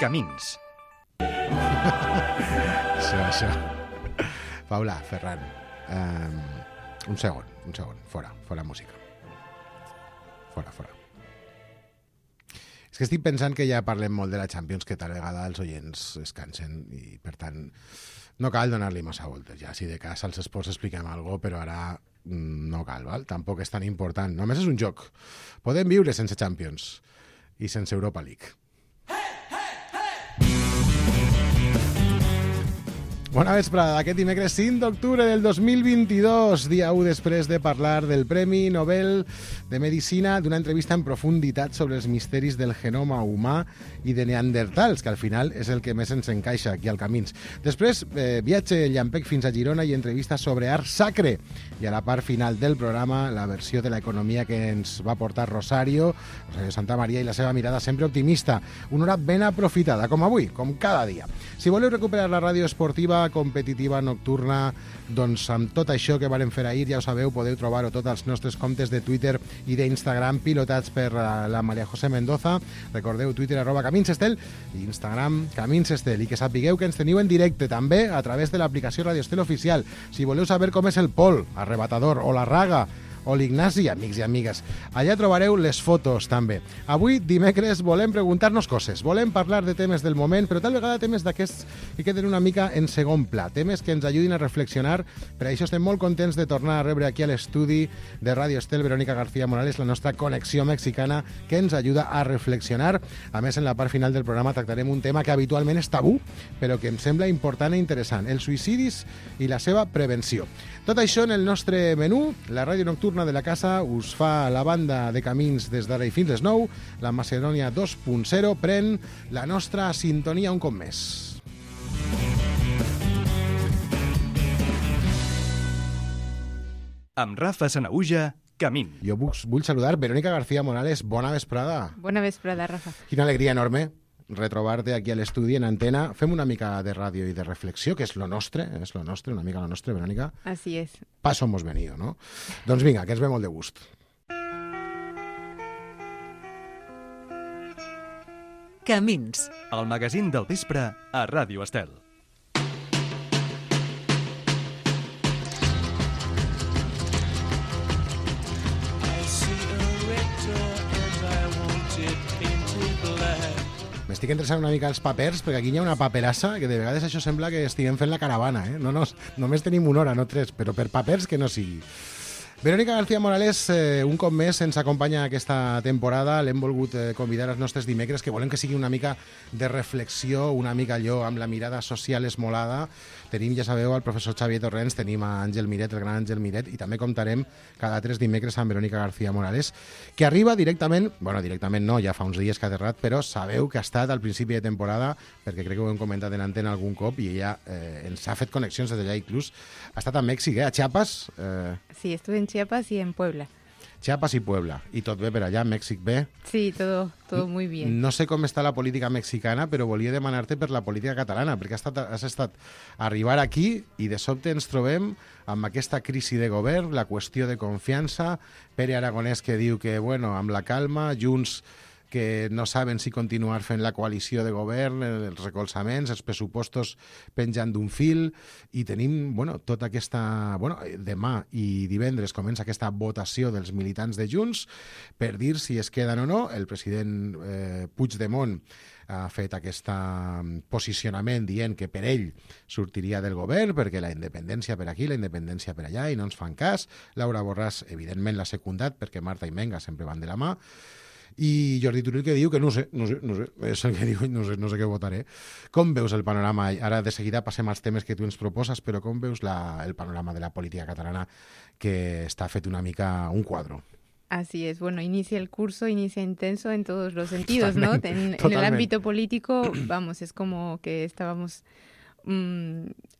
Camins. Això. Paula, Ferran, un segon, fora música. Fora. És que estic pensant que ja parlem molt de la Champions, que tal vegada els oients es cansen i, per tant, no cal donar-li massa voltes. Ja, si de cas als esports expliquem alguna cosa, però ara no cal, val? Tampoc és tan important. Només és un joc. Podem viure sense Champions i sense Europa League. Bona vesprada, aquest dimecres 5 d'octubre del 2022, dia 1 després de parlar del Premi Nobel de Medicina, d'una entrevista en profunditat sobre els misteris del genoma humà i de Neandertals, que al final és el que més ens encaixa aquí al Camins. Després, viatge llampec fins a Girona i entrevista sobre art sacre. I a la part final del programa, la versió de l'economia que ens va portar Rosario Santa Maria i la seva mirada sempre optimista. Una hora ben aprofitada, com avui, com cada dia. Si voleu recuperar la ràdio esportiva competitiva nocturna, doncs amb tot això que varen fer ahir, ja ho sabeu, podeu trobar-ho tots els nostres comptes de Twitter i d'Instagram pilotats per la Maria José Mendoza. Recordeu, Twitter @CaminsEstel i Instagram CaminsEstel. I que sapigueu que ens teniu en directe també a través de l'aplicació Radio Estel Oficial. Si voleu saber com és el Pol, Arrebatador o la Raga o l'Ignasi, amics i amigues. Allà trobareu les fotos, també. Avui, dimecres, volem preguntar-nos coses. Volem parlar de temes del moment, però tal vegada temes d'aquests que queden una mica en segon pla. Temes que ens ajudin a reflexionar. Per això estem molt contents de tornar a rebre aquí a l'estudi de Radio Estel Verónica García Morales, la nostra connexió mexicana, que ens ajuda a reflexionar. A més, en la part final del programa tractarem un tema que habitualment és tabú, però que em sembla important i interessant, els suïcidis i la seva prevenció. Tot això en el nostre menú. La ràdio nocturna de la casa us fa la banda de Camins des d'ara i fins les 9. La Macedònia 2.0 pren la nostra sintonia un cop més. Amb Rafa Sanahuja, Camins. Jo vull saludar Verónica García Morales. Bona vesprada. Bona vesprada, Rafa. Quina alegria enorme retrobar-te aquí a l'estudi en antena. Fem una mica de ràdio i de reflexió, que és lo nostre, una mica lo nostre, Verónica. Así es. Paso hemos venido, no? Doncs vinga, que ens ve molt de gust. Camins. El magazín del vespre a Ràdio Estel. M'estic interessant una mica els papers, perquè aquí hi ha una paperassa que de vegades això sembla que estiguem fent la caravana, eh? No, només tenim una hora, no 3, però per papers que no sigui. Verónica García Morales, un cop més, ens acompanya aquesta temporada. L'hem volgut convidar als nostres dimecres, que volem que sigui una mica de reflexió, una mica allò amb la mirada social esmolada. Tenim, ja sabeu, el professor Xavier Torrents, tenim a Àngel Miret, el gran Àngel Miret, i també comptarem cada 3 dimecres amb Verónica García Morales, que arriba directament no, ja fa uns dies que ha aterrat, però sabeu que ha estat al principi de temporada, perquè crec que ho hem comentat en antena algun cop, i ella ens ha fet connexions des d'allà inclús. Ha estat a Mèxic, a Chiapas. Sí, estuve en Chiapas y en Puebla. Chiapas i Puebla. I tot bé per allà, Mèxic bé? Sí, todo muy bien. No sé com està la política mexicana, però volia demanar-te per la política catalana, perquè has estat a arribar aquí i de sobte ens trobem amb aquesta crisi de govern, la qüestió de confiança, Pere Aragonès que diu que, bueno, amb la calma, Junts que no saben si continuar fent la coalició de govern, els recolzaments, els pressupostos penjant d'un fil, i tenim, tota aquesta... demà i divendres comença aquesta votació dels militants de Junts per dir si es queden o no. El president Puigdemont ha fet aquest posicionament dient que per ell sortiria del govern perquè la independència per aquí, la independència per allà, i no ens fan cas. Laura Borràs, evidentment, l'ha secundat perquè Marta i Menga sempre van de la mà. I Jordi Turull que diu que no sé, és el que diu, no sé què votaré. Com veus el panorama? Ara de seguida passem als temes que tu ens proposes, però com veus el panorama de la política catalana, que està fet una mica un quadro? Así es, inicia el curso, inicia intenso en todos los sentidos, Totalmente, ¿no? En el ámbito político, es como que estábamos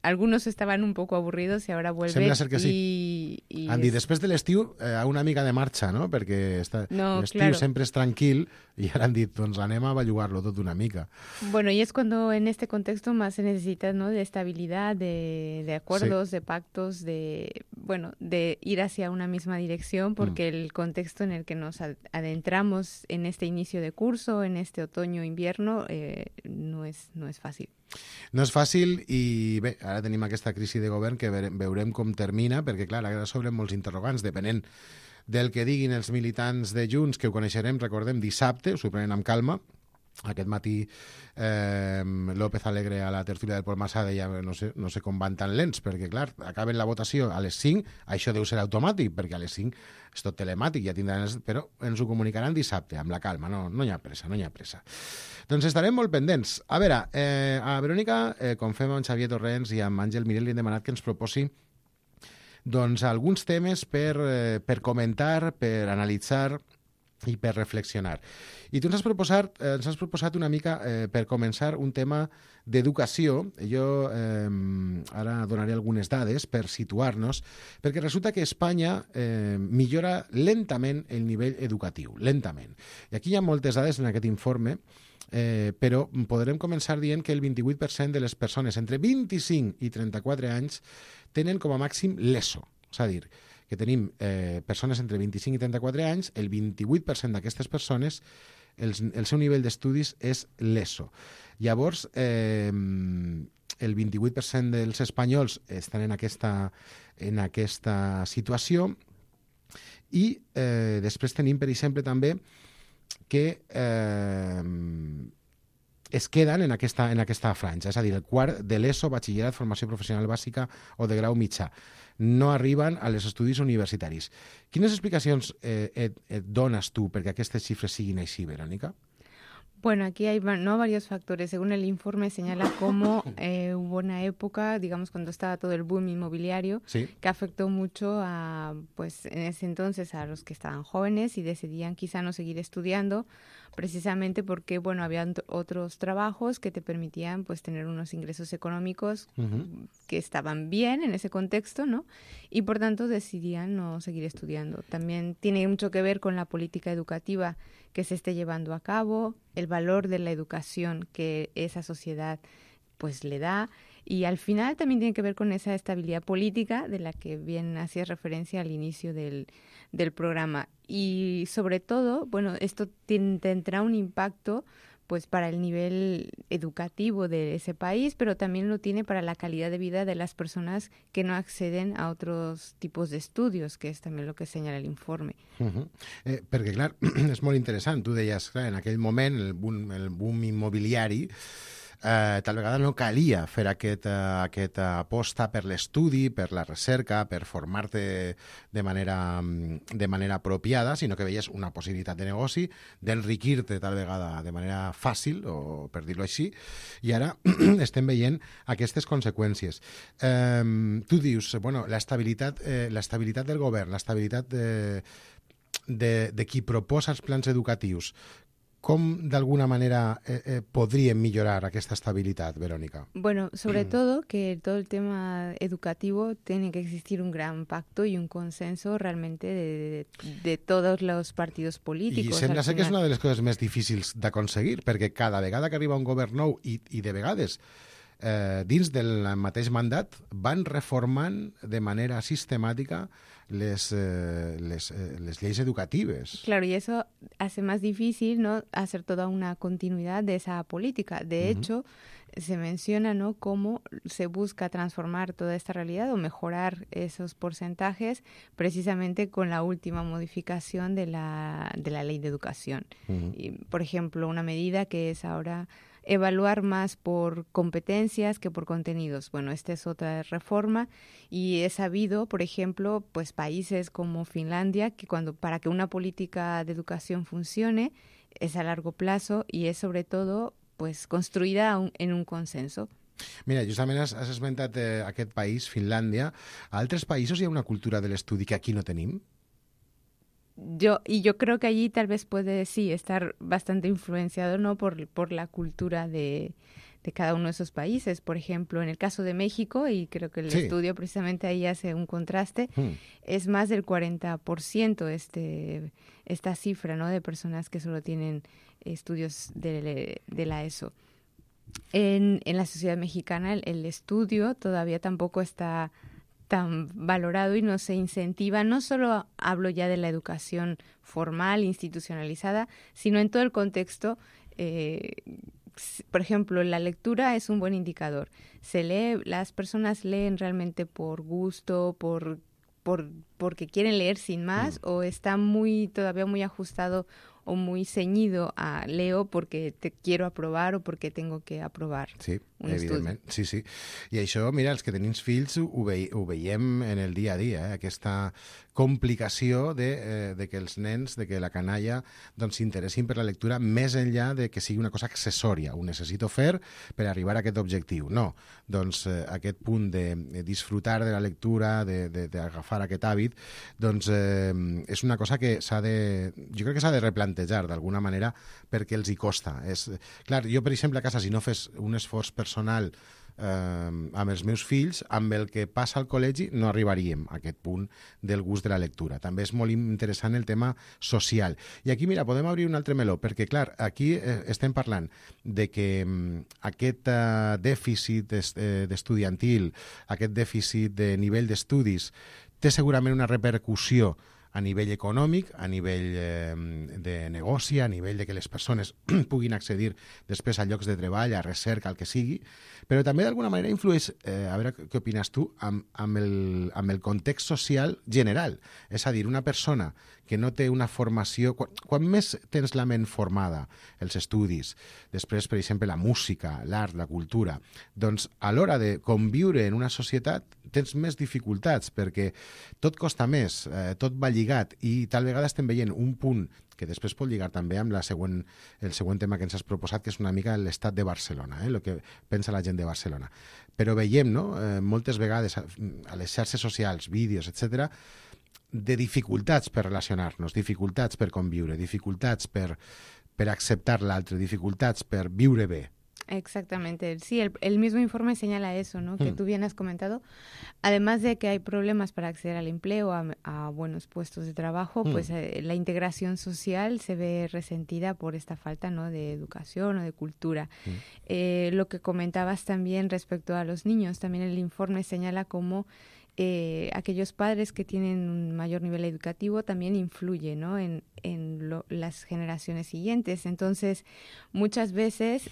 algunos estaban un poco aburridos y ahora vuelven. Sembla ser que sí. Andy, després de l'estiu, a una mica de marxa, no? Perquè l'estiu sempre és tranquil y ahora han dit, doncs anem a bellugar-lo tot una mica. Bueno, y es cuando en este contexto más se necesita, ¿no? De estabilidad, de acuerdos, de pactos, de ir hacia una misma dirección, porque el contexto en el que nos adentramos en este inicio de curso, en este otoño-invierno, no es fácil. No és fàcil i bé, ara tenim aquesta crisi de govern que veurem com termina, perquè clar, ara s'obren molts interrogants, depenent del que diguin els militants de Junts, que ho coneixerem, recordem, dissabte, s'ho prenen amb calma. Aquest matí López Alegre a la tertúlia del Pol Massà deia no sé com van tan lents, perquè clar, acaben la votació a les 5, això deu ser automàtic, perquè a les 5 és tot telemàtic, ja tindran, però ens ho comunicaran dissabte, amb la calma, no hi ha pressa, no hi ha pressa. Doncs estarem molt pendents. A veure, a Verònica, com fem amb Xavier Torrents i amb Àngel Mirel, li hem demanat que ens proposi doncs alguns temes per comentar, per analitzar i per reflexionar. I tu ens has proposat una mica, per començar, un tema d'educació. Jo ara donaré algunes dades per situar-nos, perquè resulta que Espanya millora lentament el nivell educatiu, lentament. I aquí hi ha moltes dades en aquest informe, però podrem començar dient que el 28% de les persones entre 25 i 34 anys tenen com a màxim l'ESO, és a dir, que tenim persones entre 25 i 34 anys, el 28% d'aquestes persones, el seu nivell d'estudis és l'ESO. Llavors, el 28% dels espanyols estan en aquesta situació i després tenim, per exemple, també que es queden en aquesta franja, és a dir, el quart de l'ESO, batxillerat, formació professional bàsica o de grau mitjà. No arriben a les estudis universitaris. Quines explicacions et dones tu perquè aquestes xifres siguin així, Verònica? Bueno, aquí hay varios factores. Según el informe señala cómo hubo una época, digamos, cuando estaba todo el boom inmobiliario, sí, que afectó mucho pues en ese entonces a los que estaban jóvenes y decidían quizá no seguir estudiando, precisamente porque, bueno, había otros trabajos que te permitían, pues, tener unos ingresos económicos que estaban bien en ese contexto, ¿no? Y por tanto decidían no seguir estudiando. También tiene mucho que ver con la política educativa que se esté llevando a cabo, el valor de la educación que esa sociedad pues le da, y al final también tiene que ver con esa estabilidad política de la que bien hacías referencia al inicio del programa. Y sobre todo, bueno, esto tendrá un impacto pues para el nivel educativo de ese país, pero también lo tiene para la calidad de vida de las personas que no acceden a otros tipos de estudios, que es también lo que señala el informe. Perquè, clar, és molt interessant. Tu deies, clar, en aquell moment, el boom immobiliari, tal vegada no calia fer aquesta aposta per l'estudi, per la recerca, per formar-te de manera apropiada, sinó que veies una possibilitat de negoci, d'enriquir-te tal vegada de manera fàcil, o per dir-ho així, i ara estem veient aquestes conseqüències. Tu dius, bueno, l'estabilitat del govern, l'estabilitat de qui proposa els plans educatius, ¿cómo de alguna manera podrían mejorar esta estabilidad, Verónica? Bueno, sobre todo que todo el tema educativo tiene que existir un gran pacto y un consenso realmente de todos los partidos políticos. I sembla ser que és una de les coses més difícils d'aconseguir, perquè cada vegada que arriba un govern nou i de vegades dins del mateix mandat van reformant de manera sistemàtica les leyes educatives. Claro, y eso hace más difícil, ¿no?, hacer toda una continuidad de esa política. De hecho, se menciona, ¿no?, cómo se busca transformar toda esta realidad o mejorar esos porcentajes precisamente con la última modificación de la ley de educación. Y, por ejemplo, una medida que es ahora evaluar más por competencias que por contenidos. Bueno, esta es otra reforma y he sabido, por ejemplo, pues países como Finlandia, que para que una política de educación funcione es a largo plazo y es sobre todo pues construïda en un consenso. Mira, justament has esmentat aquest país, Finlàndia. A altres països hi ha una cultura de l'estudi que aquí no tenim? Yo creo que allí tal vez puede, sí, estar bastante influenciado, ¿no?, por la cultura de cada uno de esos países. Por ejemplo, en el caso de México, y creo que el estudio precisamente ahí hace un contraste, es más del 40% esta cifra, ¿no?, de personas que solo tienen estudios de la ESO. En la sociedad mexicana el estudio todavía tampoco está tan valorado y no se incentiva. No solo hablo ya de la educación formal, institucionalizada, sino en todo el contexto. Por ejemplo, la lectura es un buen indicador. Las personas leen realmente por gusto, porque quieren leer sin más, o está todavía muy ajustado o muy ceñido a leo porque te quiero aprovar o porque tengo que aprovar un evidentment. estudi. Sí. I això, mira, els que tenim fills ho veiem en el dia a dia, aquesta complicació de que els nens, de que la canalla doncs s'interessin per la lectura més enllà de que sigui una cosa accessòria, ho necessito fer per arribar a aquest objectiu. No, doncs aquest punt de disfrutar de la lectura, d'agafar aquest hàbit, doncs és una cosa que jo crec que s'ha de replantejar d'alguna manera perquè els hi costa. Clar, jo, per exemple, a casa, si no fes un esforç personal amb els meus fills, amb el que passa al col·legi no arribaríem a aquest punt del gust de la lectura. També és molt interessant el tema social. I aquí, mira, podem obrir un altre meló, perquè, clar, aquí estem parlant de que aquest dèficit estudiantil, aquest dèficit de nivell d'estudis, té segurament una repercussió a nivell econòmic, a nivell de negoci, a nivell de que les persones puguin accedir després a llocs de treball, a recerca, al que sigui, però també d'alguna manera influeix, a veure què opines tu, amb el context social general. És a dir, una persona que no té una formació... Quan més tens la ment formada, els estudis, després, per exemple, la música, l'art, la cultura, doncs a l'hora de conviure en una societat tens més dificultats perquè tot costa més, tot va lligat i tal vegada estem veient un punt que després pot lligar també amb el següent tema que ens has proposat, que és una mica l'estat de Barcelona, el que pensa la gent de Barcelona. Però veiem, no?, moltes vegades a les xarxes socials, vídeos, etc., de dificultats per relacionar-nos, dificultats per conviure, dificultats per acceptar l'altre, dificultats per viure bé. Exactamente, sí, el mismo informe señala eso, ¿no?, que tú bien has comentado. Además de que hay problemas para acceder al empleo, a buenos puestos de trabajo, pues la integración social se ve resentida por esta falta, ¿no?, de educación o de cultura. Lo que comentabas también respecto a los niños, también el informe señala cómo aquellos padres que tienen un mayor nivel educativo también influye, ¿no?, en las generaciones siguientes. Entonces, muchas veces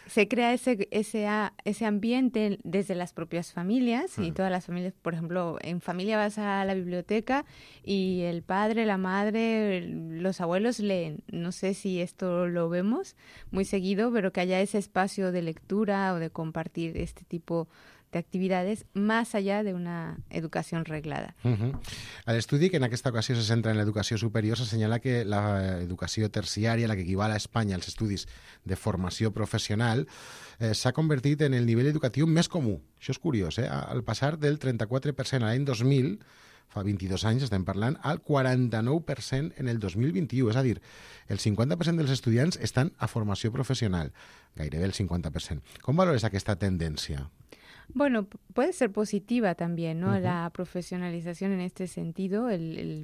se crea ese ambiente desde las propias familias, y todas las familias, por ejemplo, en familia vas a la biblioteca y el padre, la madre, los abuelos leen. No sé si esto lo vemos muy seguido, pero que haya ese espacio de lectura o de compartir este tipo de actividades más allá de una educación reglada. A l'estudi, que en aquesta ocasió se centra en l'educació superior, s'assenyala que l'educació terciària, la que equival a Espanya als estudis de formació professional, s'ha convertit en el nivell educatiu més comú. Això és curiós, al passar del 34% a l'any 2000, fa 22 anys estem parlant, al 49% en el 2021. És a dir, el 50% dels estudiants estan a formació professional, gairebé el 50%. Com valores aquesta tendència? Bueno, puede ser positiva también, ¿no? La profesionalización en este sentido,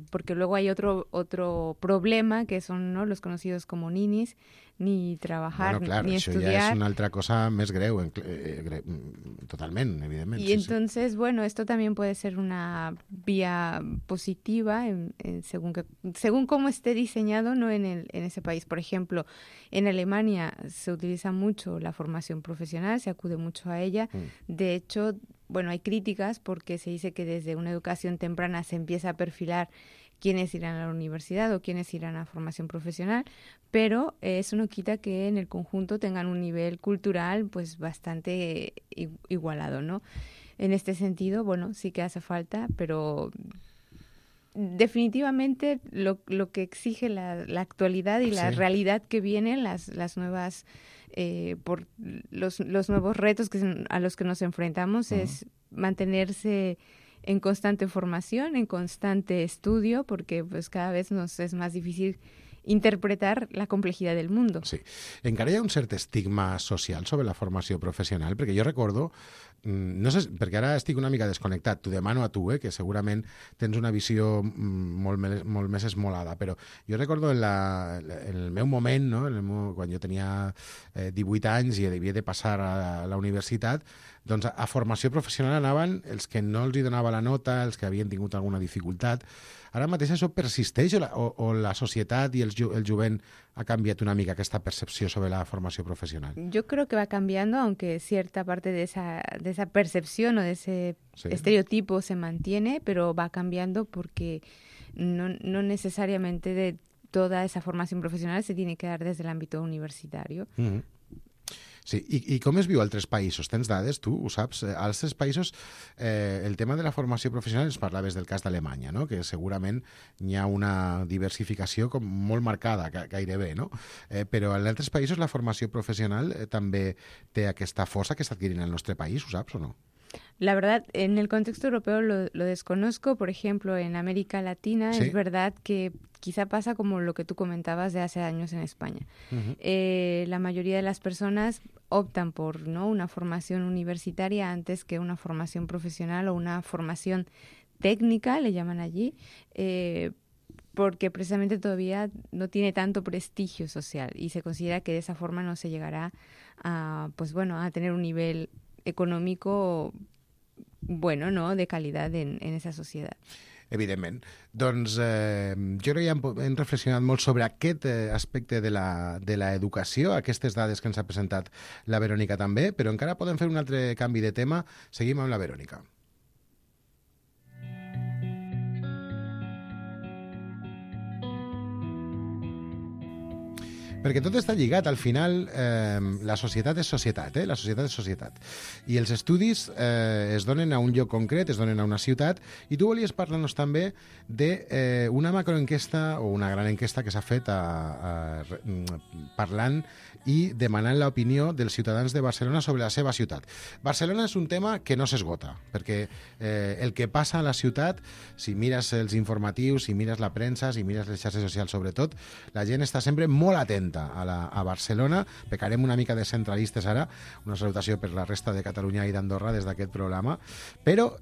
porque luego hay otro problema que son, ¿no?, los conocidos como ninis, ni trabajar, ni estudiar. Això ja és una altra cosa més greu, totalment, evidentment. Y entonces, bueno, esto también puede ser una vía positiva según cómo esté diseñado, ¿no?, en ese país. Por ejemplo, en Alemania se utiliza mucho la formación profesional, se acude mucho a ella. De hecho, bueno, hay críticas porque se dice que desde una educación temprana se empieza a perfilar quiénes irán a la universidad o quiénes irán a formación profesional, pero eso no quita que en el conjunto tengan un nivel cultural pues bastante igualado, ¿no? En este sentido, bueno, sí que hace falta, pero definitivamente lo que exige la actualidad y la realidad que vienen, las nuevas por los nuevos retos a los que nos enfrentamos, es mantenerse en constante formación, en constante estudio, porque pues cada vez nos es más difícil interpretar la complejidad del mundo. Sí. Encara hi ha un cert estigma social sobre la formació professional, perquè jo recordo, no sé, perquè ara estic una mica desconnectat, t'ho demano a tu, que segurament tens una visió molt més esmolada, però jo recordo en el meu moment, no? Quan jo tenia 18 anys i havia de passar a la universitat, doncs a formació professional anaven els que no els hi donava la nota, els que havien tingut alguna dificultat. Ara mateix això persisteix o la societat y el jovent ha cambiado una mica aquesta percepció sobre la formació profesional? Yo creo que va cambiando, aunque cierta parte de esa percepción o de ese estereotipo se mantiene, pero va cambiando porque no necesariamente de toda esa formación profesional se tiene que dar desde el ámbito universitario. Mm-hmm. Sí, i com es viu a altres països? Tens dades, tu ho saps? A altres països el tema de la formació professional, ens parlaves del cas d'Alemanya, no? Que segurament hi ha una diversificació com molt marcada, gairebé, no? Però en altres països la formació professional també té aquesta força que està adquirint el nostre país, ho saps o no? La verdad, en el contexto europeo lo desconozco. Por ejemplo, en América Latina ¿sí? Es verdad que quizá pasa como lo que tú comentabas de hace años en España. Uh-huh. La mayoría de las personas optan por una formación universitaria antes que una formación profesional o una formación técnica, le llaman allí, porque precisamente todavía no tiene tanto prestigio social y se considera que de esa forma no se llegará a tener un nivel econòmico bueno, no?, de qualitat en esa societat. Evidentment. Doncs jo crec que hem reflexionat molt sobre aquest aspecte de l'educació, aquestes dades que ens ha presentat la Verònica també, però encara podem fer un altre canvi de tema. Seguim amb la Verònica. Perquè tot està lligat, al final la societat és societat, la societat és societat. I els estudis es donen a un lloc concret, es donen a una ciutat, i tu volies parlar-nos també d'una macroenquesta o una gran enquesta que s'ha fet parlant i demanant l'opinió dels ciutadans de Barcelona sobre la seva ciutat. Barcelona és un tema que no s'esgota, perquè el que passa a la ciutat, si mires els informatius, si mires la premsa, si mires les xarxes socials sobretot, la gent està sempre molt atenta a Barcelona. Pecarem una mica de centralistes ara, una salutació per la resta de Catalunya i d'Andorra des d'aquest programa, però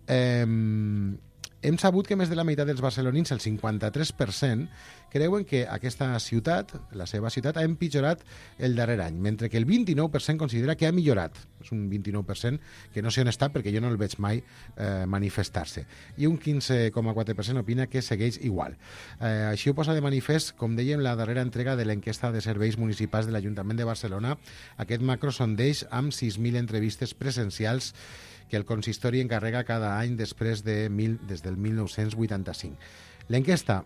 hem sabut que més de la meitat dels barcelonins, el 53%, creuen que aquesta ciutat, la seva ciutat, ha empitjorat el darrer any, mentre que el 29% considera que ha millorat. És un 29% que no sé on està perquè jo no el veig mai manifestar-se. I un 15,4% opina que segueix igual. Així ho posa de manifest, com dèiem, la darrera entrega de l'enquesta de serveis municipals de l'Ajuntament de Barcelona, aquest macrosondeig amb 6.000 entrevistes presencials que el consistori encarrega cada any des del 1985. L'enquesta,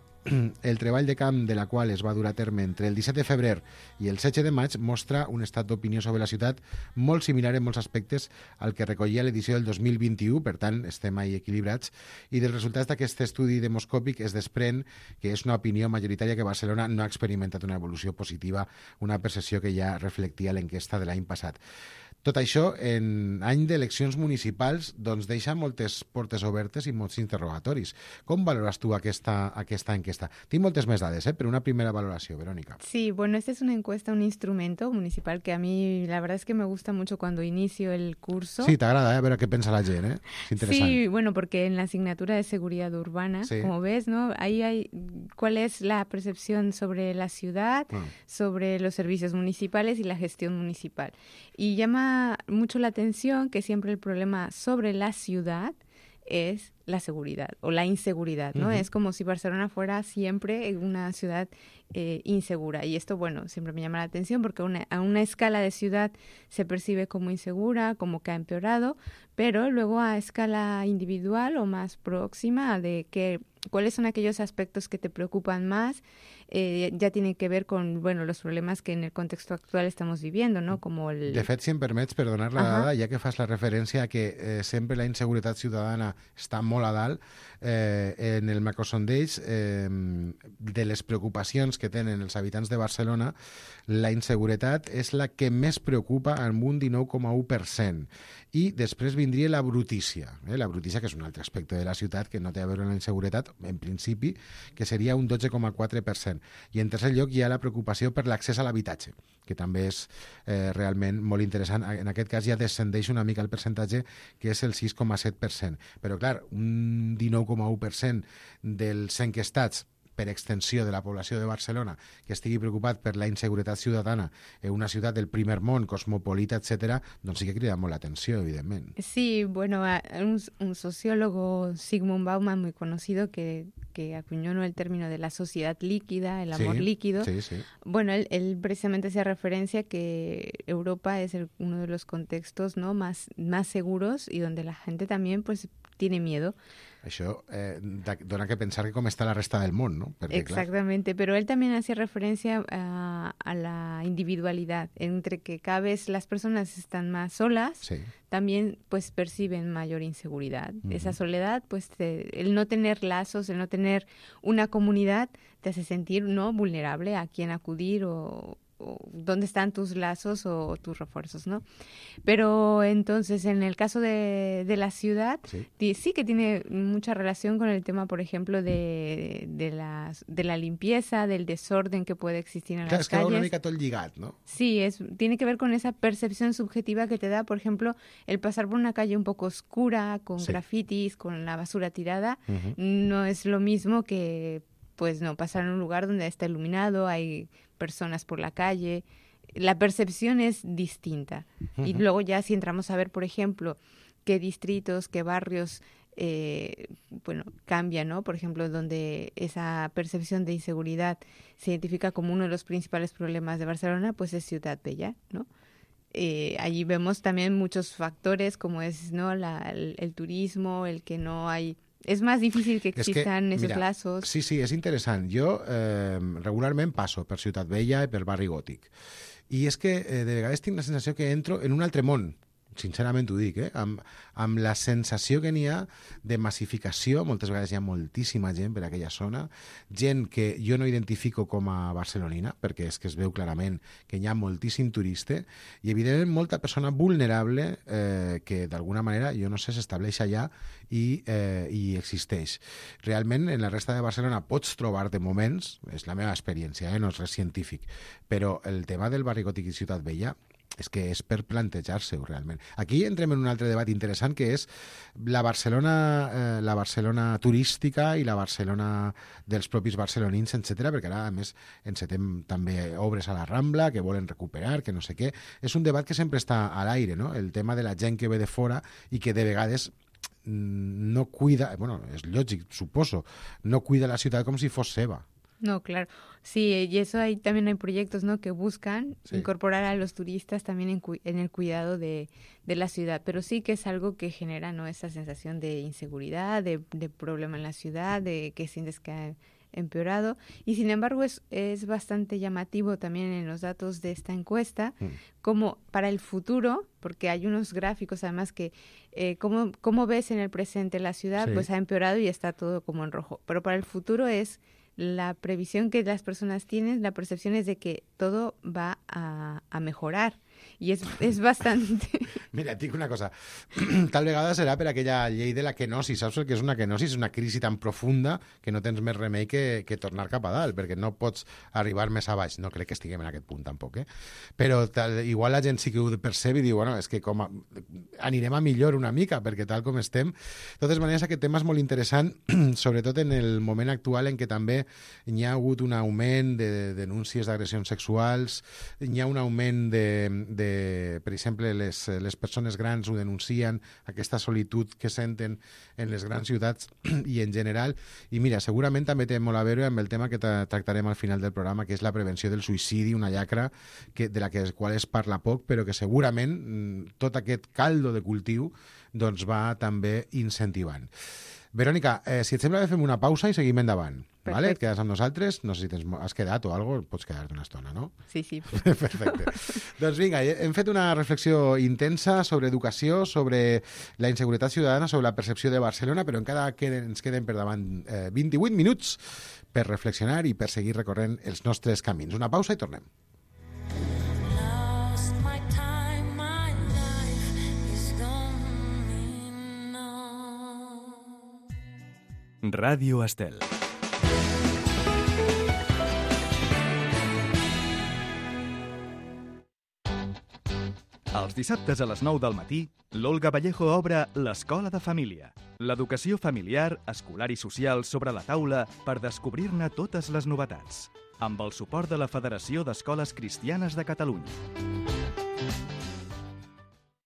el treball de camp de la qual es va dur a terme entre el 17 de febrer i el 16 de maig, mostra un estat d'opinió sobre la ciutat molt similar en molts aspectes al que recollia l'edició del 2021, per tant, estem ahí equilibrats, i dels resultats d'aquest estudi demoscòpic es desprèn que és una opinió majoritària que Barcelona no ha experimentat una evolució positiva, una percepció que ja reflectia l'enquesta de l'any passat. Tot això, en any d'eleccions municipals, doncs deixa moltes portes obertes i molts interrogatoris. Com valores tu aquesta enquesta? Tinc moltes més dades, però una primera valoració, Verónica. Sí, bueno, esta es una encuesta, un instrumento municipal que a mí la verdad es que me gusta mucho cuando inicio el curso. Sí, t'agrada, a veure què pensa la gent, Es interesante. Sí, bueno, porque en la asignatura de seguridad urbana, sí, como ves, ¿no? Ahí hay cuál es la percepción sobre la ciudad, sobre los servicios municipales y la gestión municipal. Y llama mucho la atención que siempre el problema sobre la ciudad es la seguridad o la inseguridad, ¿no? Uh-huh. Es como si Barcelona fuera siempre una ciudad insegura. Y esto, bueno, siempre me llama la atención porque a una escala de ciudad se percibe como insegura, como que ha empeorado, pero luego a escala individual o más próxima de cuáles son aquellos aspectos que te preocupan más, ya tienen que ver con, bueno, los problemas que en el contexto actual estamos viviendo, ¿no? Como el... De fet, si em permets, per donar la dada, ja que fas la referència a que sempre la inseguretat ciutadana està molt a dalt, en el macrosondeig de les preocupacions que tenen els habitants de Barcelona, la inseguretat és la que més preocupa amb un 19,1%. I després vindria la brutícia. La brutícia, que és un altre aspecte de la ciutat que no té a veure amb la inseguretat, en principi, que seria un 12,4%. I en tercer lloc hi ha la preocupació per l'accés a l'habitatge, que també és realment molt interessant. En aquest cas ja descendeix una mica el percentatge, que és el 6,7%. Però, clar, un 19,1% dels enquestats per extensió de la població de Barcelona que estigui preocupat per la inseguretat ciutadana en una ciutat del primer món, cosmopolita, etcétera, doncs sí que crida molt l'atenció, evidentment. Sí, bueno, un sociólogo, Zygmunt Bauman, muy conocido, que acuñó, ¿no?, el término de la sociedad líquida, el amor líquido. Sí, sí. Bueno, él precisamente hacía referencia que Europa es uno de los contextos, ¿no?, más seguros y donde la gente también pues tiene miedo. Això dona que pensar que com està la resta del món, ¿no? Perquè, exactamente, clar, pero él también hacía referencia a la individualidad, entre que cada vez las personas están más solas, sí, también pues perciben mayor inseguridad. Esa soledad, pues el no tener lazos, el no tener una comunidad, te hace sentir, ¿no?, vulnerable a quién acudir o dónde están tus lazos o tus refuerzos, ¿no? Pero entonces, en el caso de la ciudad, sí que tiene mucha relación con el tema, por ejemplo, de la limpieza, del desorden que puede existir en las calles. Claro, es que va una mica tot lligat, ¿no? Sí, tiene que ver con esa percepción subjetiva que te da, por ejemplo, el pasar por una calle un poco oscura, con grafitis, con la basura tirada, no es lo mismo que pues no, pasar en un lugar donde está iluminado, hay personas por la calle, la percepción es distinta. Y luego ya si entramos a ver, por ejemplo, qué distritos, qué barrios, cambian, ¿no? Por ejemplo, donde esa percepción de inseguridad se identifica como uno de los principales problemas de Barcelona, pues es Ciutat Vella, ¿no? Allí vemos también muchos factores como es, ¿no?, el turismo, el que no hay... És més difícil que existan esos lazos. Sí, és interessant. Jo regularment passo per Ciutat Vella i per Barri Gòtic. I és que de vegades tinc la sensació que entro en un altre món. Sincerament ho dic, amb la sensació que n'hi ha de massificació. Moltes vegades hi ha moltíssima gent per aquella zona, gent que jo no identifico com a barcelonina, perquè és que es veu clarament que hi ha moltíssim turista i, evidentment, molta persona vulnerable que, d'alguna manera, jo no sé, s'estableix allà i existeix. Realment, en la resta de Barcelona pots trobar de moments, és la meva experiència, no és res científic, però el tema del Barri Gòtic i Ciutat Vella és que és per plantejar-se-ho realment. Aquí entrem en un altre debat interessant, que és la Barcelona turística i la Barcelona dels propis barcelonins, etc. perquè ara, a més, encetem també obres a la Rambla que volen recuperar, que no sé què. És un debat que sempre està a l'aire, no? El tema de la gent que ve de fora i que de vegades no cuida, bueno, és lògic, suposo, no cuida la ciutat com si fos seva. No, claro. Sí, y eso también hay proyectos, ¿no?, que buscan incorporar a los turistas también en el cuidado de la ciudad. Pero sí que es algo que genera, ¿no?, esa sensación de inseguridad, de problema en la ciudad, de que sientes que ha empeorado. Y sin embargo es bastante llamativo también en los datos de esta encuesta, como para el futuro, porque hay unos gráficos además que cómo ves en el presente la ciudad, pues ha empeorado y está todo como en rojo. Pero para el futuro es... la previsión que las personas tienen, la percepción es de que todo va a mejorar. I és bastante... Mira, et dic una cosa. Tal vegada serà per aquella llei de la kenosi. Saps el que és una kenosi? És una crisi tan profunda que no tens més remei que tornar cap a dalt, perquè no pots arribar més a baix. No crec que estiguem en aquest punt tampoc, Però igual la gent sí que ho percebe i diu, bueno, és que anirem a millor una mica, perquè tal com estem... De totes maneres, aquest tema és molt interessant, sobretot en el moment actual en què també hi ha hagut un augment de denúncies d'agressions sexuals, hi ha un augment per exemple, les persones grans ho denuncien, aquesta solitud que senten en les grans ciutats i en general. I mira, segurament també té molt a veure amb el tema que tractarem al final del programa, que és la prevenció del suïcidi, una llacra de la qual es parla poc, però que segurament tot aquest caldo de cultiu doncs va també incentivant. Verònica, si et sembla, fem una pausa i seguim endavant. Vale? Et quedes amb nosaltres? No sé si has quedat o alguna cosa, pots quedar-te una estona, no? Sí, sí. Perfecte. Doncs vinga, hem fet una reflexió intensa sobre educació, sobre la inseguretat ciutadana, sobre la percepció de Barcelona, però encara ens queden per davant 28 minuts per reflexionar i per seguir recorrent els nostres camins. Una pausa i tornem. Ràdio Estel. Els dissabtes a les 9 del matí, l'Olga Vallejo obre l'Escola de Família. L'educació familiar, escolar i social sobre la taula per descobrir-ne totes les novetats. Amb el suport de la Federació d'Escoles Cristianes de Catalunya.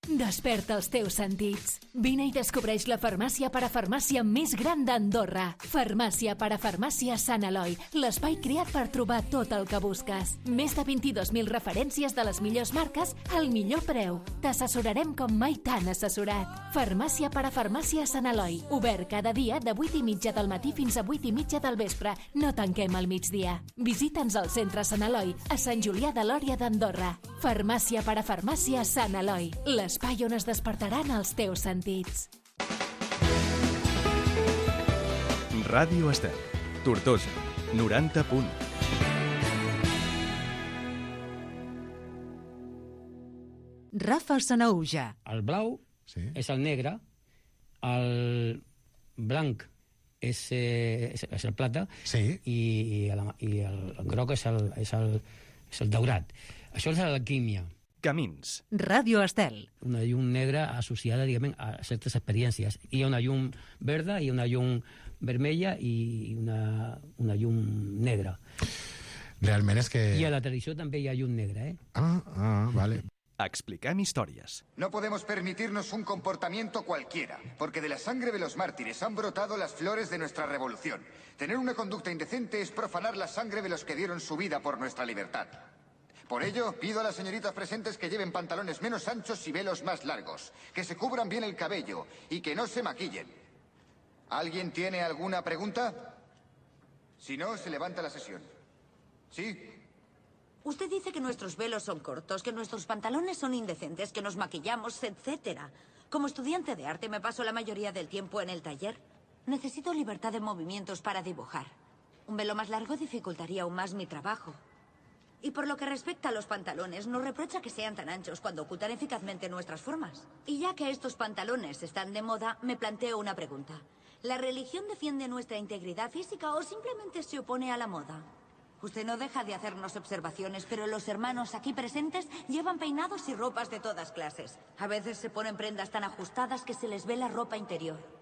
Desperta els teus sentits. Vine i descobreix la farmàcia parafarmàcia més gran d'Andorra. Farmàcia parafarmàcia Sant Eloi, l'espai creat per trobar tot el que busques. Més de 22.000 referències de les millors marques al millor preu. T'assessorarem com mai t'han assessorat. Farmàcia parafarmàcia Sant Eloi, obert cada dia de 8:30 del matí fins a 8:30 del vespre. No tanquem al migdia. Visita'ns al centre Sant Eloi, a Sant Julià de Lòria d'Andorra. Farmàcia parafarmàcia Sant Eloi, l'espai on es despertaran els teus sentits. Ràdio Estel. Tortosa, 90 punt. Rafa Sanaúja. El blau és el negre, el blanc és el plata i el groc és el daurat. Això és l'alquímia. Camins. Ràdio Estel. Una llum negra associada, diguem, a certes experiències. Hi ha una llum verda, hi ha una llum vermella i una llum negra. Realment és que... I a la tradició també hi ha llum negra, eh? Vale. Expliquem històries. No podemos permitirnos un comportamiento cualquiera, porque de la sangre de los mártires han brotado las flores de nuestra revolución. Tener una conducta indecente es profanar la sangre de los que dieron su vida por nuestra libertad. Por ello, pido a las señoritas presentes que lleven pantalones menos anchos y velos más largos, que se cubran bien el cabello y que no se maquillen. ¿Alguien tiene alguna pregunta? Si no, se levanta la sesión. ¿Sí? Usted dice que nuestros velos son cortos, que nuestros pantalones son indecentes, que nos maquillamos, etcétera. Como estudiante de arte me paso la mayoría del tiempo en el taller. Necesito libertad de movimientos para dibujar. Un velo más largo dificultaría aún más mi trabajo. Y por lo que respecta a los pantalones, nos reprocha que sean tan anchos cuando ocultan eficazmente nuestras formas. Y ya que estos pantalones están de moda, me planteo una pregunta. ¿La religión defiende nuestra integridad física o simplemente se opone a la moda? Usted no deja de hacernos observaciones, pero los hermanos aquí presentes llevan peinados y ropas de todas clases. A veces se ponen prendas tan ajustadas que se les ve la ropa interior.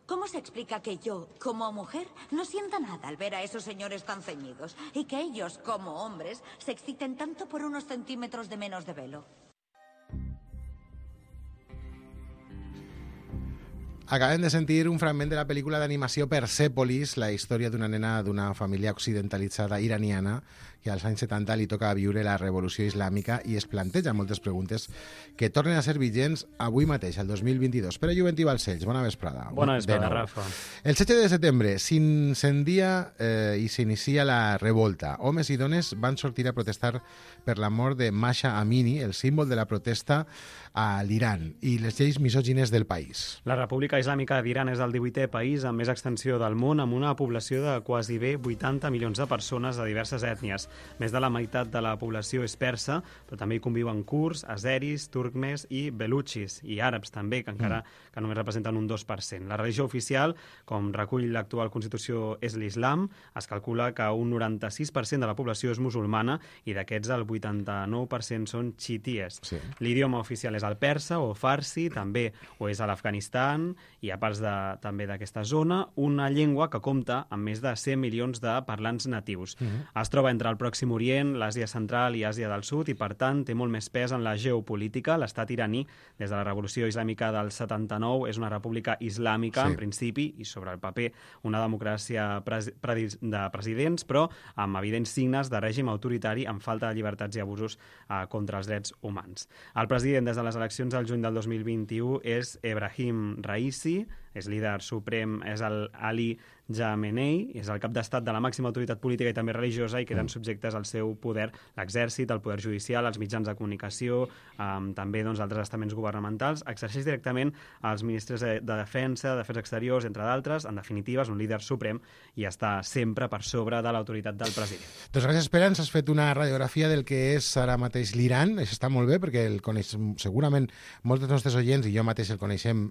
¿Cómo se explica que yo, como mujer, no sienta nada al ver a esos señores tan ceñidos y que ellos, como hombres, se exciten tanto por unos centímetros de menos de velo? Acabem de sentir un fragment de la pel·lícula d'animació Persepolis, la història d'una nena d'una família occidentalitzada iraniana que als anys 70 li toca viure la revolució islàmica i es planteja moltes preguntes que tornen a ser vigents avui mateix, el 2022. Pere Juventí Balcells, bona vesprada. Bona vesprada, Rafa. El 7 de setembre s'incendia i s'inicia la revolta. Homes i dones van sortir a protestar per la mort de Mahsa Amini, el símbol de la protesta a l'Iran, i les lleis misògines del país. La República Islàmica d'Iran és el 18è país amb més extensió del món, amb una població de quasi bé 80 milions de persones de diverses ètnies. Més de la meitat de la població és persa, però també hi conviuen kurds, azeris, turcmes i belutxis, i àrabs també, que encara que només representen un 2%. La religió oficial, com recull l'actual Constitució, és l'islam. Es calcula que un 96% de la població és musulmana i d'aquests el 89% són xiities. Sí. L'idioma oficial és el persa o farsi, també ho és a l'Afganistan i a parts també d'aquesta zona, una llengua que compta amb més de 100 milions de parlants natius. Es troba entre el Pròxim Orient, l'Àsia Central i Àsia del Sud i, per tant, té molt més pes en la geopolítica. L'estat iraní, des de la Revolució Islàmica del 79, és una república islàmica, en principi, i sobre el paper una democràcia de presidents, però amb evidents signes de règim autoritari amb falta de llibertats i abusos contra els drets humans. El president des de les eleccions del juny del 2021 és Ebrahim Raisi, és líder suprem, és el Ali Khamenei, és el cap d'estat de la màxima autoritat política i també religiosa i queden subjectes al seu poder l'exèrcit, el poder judicial, els mitjans de comunicació, també altres estaments governamentals. Exerceix directament els ministres de Defensa, d'Afers Exteriors, entre d'altres. En definitiva, és un líder suprem i està sempre per sobre de l'autoritat del president. Doncs gràcies, Pere. Ens has fet una radiografia del que és ara mateix l'Iran. Això està molt bé perquè el coneixem, segurament molts dels nostres oients i jo mateix el coneixem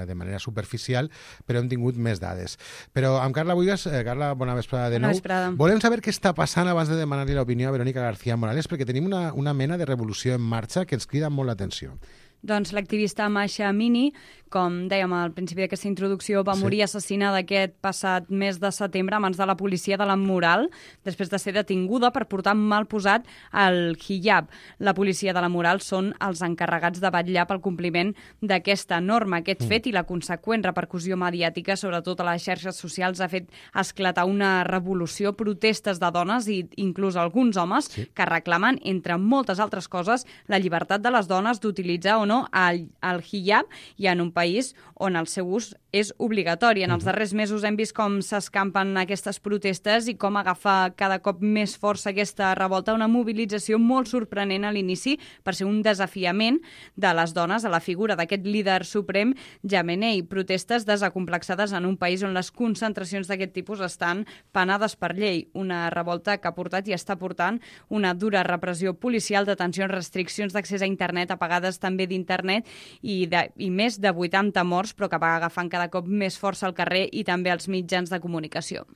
de manera superficial, oficial, però hem tingut més dades. Però amb Carla Buigas, Carla, bona vesprada de nou. Bona vesprada. Volem saber què està passant abans de demanar-li l'opinió a Verónica García Morales, perquè tenim una mena de revolució en marxa que ens crida molt l'atenció. Doncs l'activista Masha Amini, com dèiem al principi d'aquesta introducció, va morir assassinada aquest passat mes de setembre a mans de la policia de la Moral, després de ser detinguda per portar mal posat el hijab. La policia de la Moral són els encarregats de vetllar pel compliment d'aquesta norma. Aquest fet i la conseqüent repercussió mediàtica, sobretot a les xarxes socials, ha fet esclatar una revolució, protestes de dones i inclús alguns homes que reclamen, entre moltes altres coses, la llibertat de les dones d'utilitzar o no el hijab, i en un país on el seu ús és obligatori. En els darrers mesos hem vist com s'escampen aquestes protestes i com agafa cada cop més força aquesta revolta, una mobilització molt sorprenent a l'inici per ser un desafiament de les dones a la figura d'aquest líder suprem, Jamenei. Protestes desacomplexades en un país on les concentracions d'aquest tipus estan penades per llei. Una revolta que ha portat i està portant una dura repressió policial, detencions, restriccions d'accés a internet, apagades també d'internet i més de 80 morts, però que va agafant cada cop més força al carrer i també als mitjans de comunicació.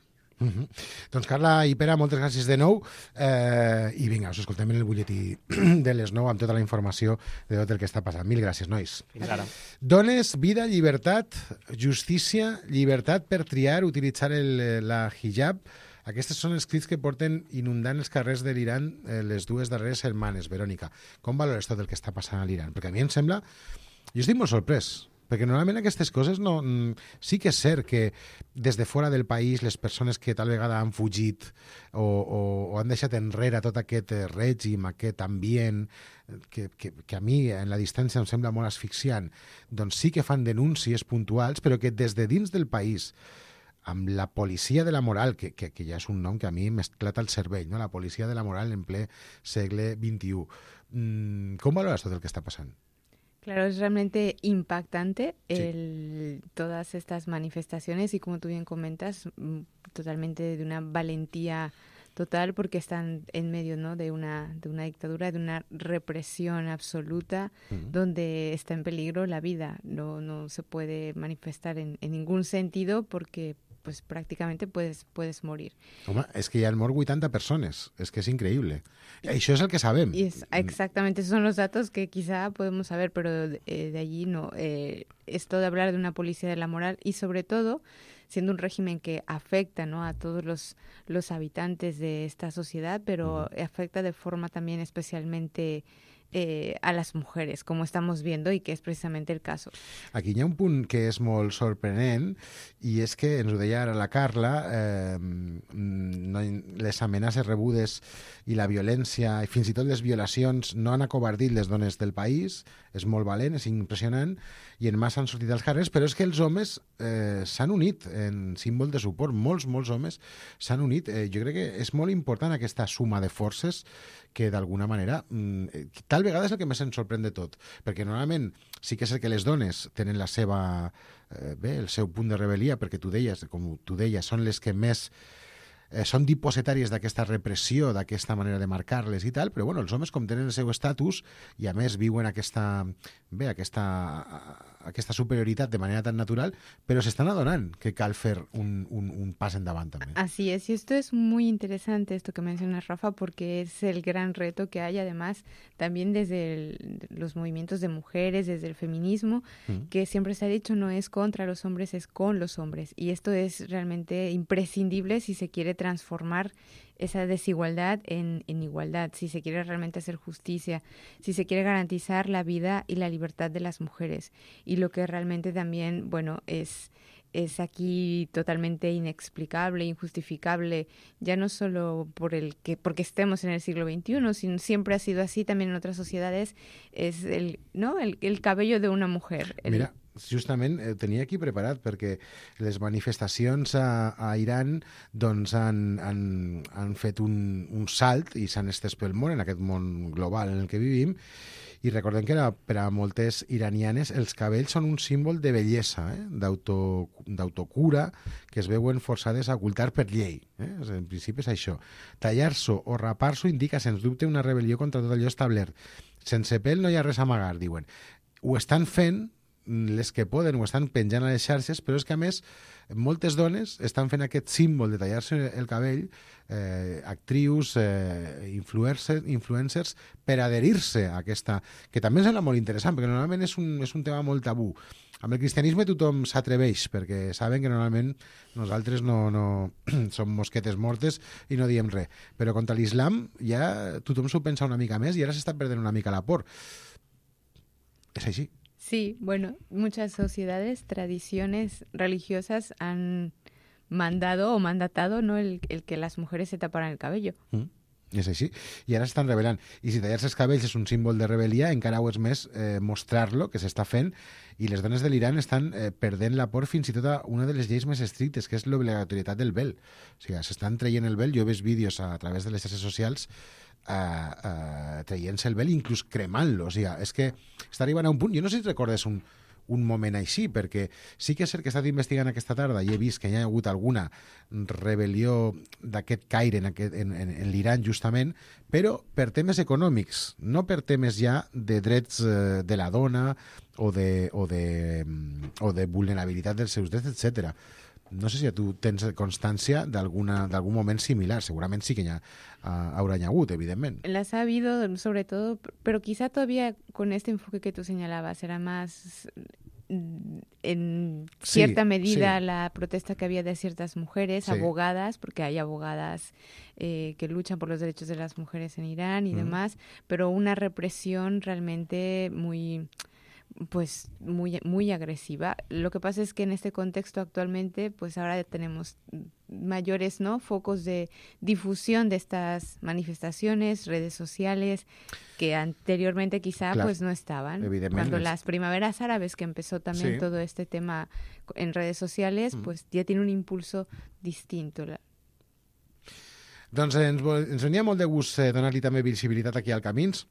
Doncs Carla i Pere, moltes gràcies de nou i vinga, us escoltem en el butlletí de les 9 amb tota la informació de tot el que està passant. Mil gràcies, nois. Fins ara. Dones, vida, llibertat, justícia, llibertat per triar, utilitzar la hijab. Aquests són els crits que porten inundant els carrers de l'Iran les dues darreres setmanes. Verònica, com valores tot el que està passant a l'Iran? Perquè a mi em sembla... Jo estic molt sorprès, perquè normalment aquestes coses no... Sí que és cert que des de fora del país les persones que tal vegada han fugit o han deixat enrere tot aquest règim, aquest ambient, que a mi en la distància em sembla molt asfixiant, doncs sí que fan denúncies puntuals, però que des de dins del país, amb la policia de la moral, que ja és un nom que a mi m'esclata el cervell, ¿no? La policia de la moral en ple segle XXI. Com valores tot el que està passant? Claro, es realmente impactante todas estas manifestaciones y, como tú bien comentas, totalmente de una valentía total, porque están en medio, ¿no?, de una dictadura, de una represión absoluta, donde está en peligro la vida. No se puede manifestar en ningún sentido porque pues prácticamente puedes morir. Home, és que hi han mort 80 persones, és que és increïble. I això és el que sabem. Exactamente, esos son los datos que quizá podemos saber, pero de allí no. Esto de hablar de una policía de la moral y sobre todo siendo un régimen que afecta, ¿no?, a todos los habitantes de esta sociedad, pero afecta de forma también especialmente a las mujeres, como estamos viendo, y que és precisament el cas. Aquí hi ha un punt que és molt sorprenent, i és que, ens ho deia ara la Carla, les amenaces rebudes i la violència, i fins i tot les violacions, no han acovardit les dones del país. És molt valent, és impressionant, i en massa han sortit als carrers, però és que els homes s'han unit en símbol de suport. Molts homes s'han unit. Jo crec que és molt important aquesta suma de forces que d'alguna manera, tal vegada és el que més ens sorprèn de tot, perquè normalment sí que és el que les dones tenen la seva, el seu punt de rebel·lia, perquè tu deies, com tu deies, són les que més són dipositàries d'aquesta repressió, d'aquesta manera de marcar-les i tal, però bueno, els homes, com tenen el seu estatus i a més viuen aquesta superioritat de manera tan natural, pero se están adonant que cal fer un pas endavant també. Así es, y esto es muy interesante, esto que mencionas, Rafa, porque es el gran reto que hay, además, también desde los movimientos de mujeres, desde el feminismo, que siempre se ha dicho no es contra los hombres, es con los hombres, y esto es realmente imprescindible si se quiere transformar esa desigualdad en igualdad, si se quiere realmente hacer justicia, si se quiere garantizar la vida y la libertad de las mujeres. Y lo que realmente también, bueno, es aquí totalmente inexplicable, injustificable, ya no solo porque estemos en el siglo XXI, sino siempre ha sido así también en otras sociedades, es el cabello de una mujer. Mira, justament tenia aquí preparat perquè les manifestacions a Iran doncs han fet un salt i s'han estès pel món, en aquest món global en el que vivim, i recordem que per a moltes iranianes els cabells són un símbol de bellesa, d'autocura, que es veuen forçades a ocultar per llei. En principi és això. Tallar-s'ho o rapar-s'ho indica, sens dubte, una rebel·lió contra tot allò establert. Sense pèl no hi ha res a amagar, diuen. Ho estan fent les que poden ho estan penjant a les xarxes, però és que a més moltes dones estan fent aquest símbol de tallar-se el cabell, actrius, influencers, per adherir-se a aquesta, que també em sembla molt interessant, perquè normalment és un tema molt tabú. Amb el cristianisme tothom s'atreveix, perquè saben que normalment nosaltres no som mosquetes mortes i no diem res. Però contra l'islam ja tothom s'ho pensa una mica més i ara s'està perdent una mica la por. És així. Sí, bueno, muchas sociedades, tradiciones religiosas han mandado o mandatado, ¿no?, el que las mujeres se taparan el cabello. És així. I ara s'estan revelant. I si tallar-se els cabells és un símbol de rebel·lia, encara ho és més mostrar-lo, que s'està fent, i les dones de l'Iran estan perdent la por fins i tot a una de les lleis més estrictes, que és l'obligatorietat del vel. O sigui, s'estan traient el vel. Jo he vist vídeos a través de les xarxes socials traient-se el vel, inclús cremant-lo. O sigui, és que està arribant a un punt... Jo no sé si recordes un moment així, perquè sí que és cert que he estat investigant aquesta tarda i he vist que hi ha hagut alguna rebel·lió d'aquest caire en l'Iran, justament, però per temes econòmics, no per temes ja de drets de la dona o de vulnerabilitat dels seus drets, etc. No sé si tu tens constància d'algun moment similar. Segurament sí que haurà hagut, evidentment. Las ha habido, sobre todo, pero quizá todavía con este enfoque que tú señalabas, era más en cierta medida la protesta que había de ciertas mujeres, abogadas, porque hay abogadas que luchan por los derechos de las mujeres en Irán y demás, pero una represión realmente muy agresiva. Lo que pasa es que en este contexto actualmente, pues ahora tenemos mayores, ¿no?, focos de difusión de estas manifestaciones, redes sociales, que anteriormente quizá pues no estaban. Cuando las primaveras árabes, que empezó también todo este tema en redes sociales, pues ya tiene un impulso distinto. Doncs ens venia molt de gust donar-li també visibilitat aquí al Camins,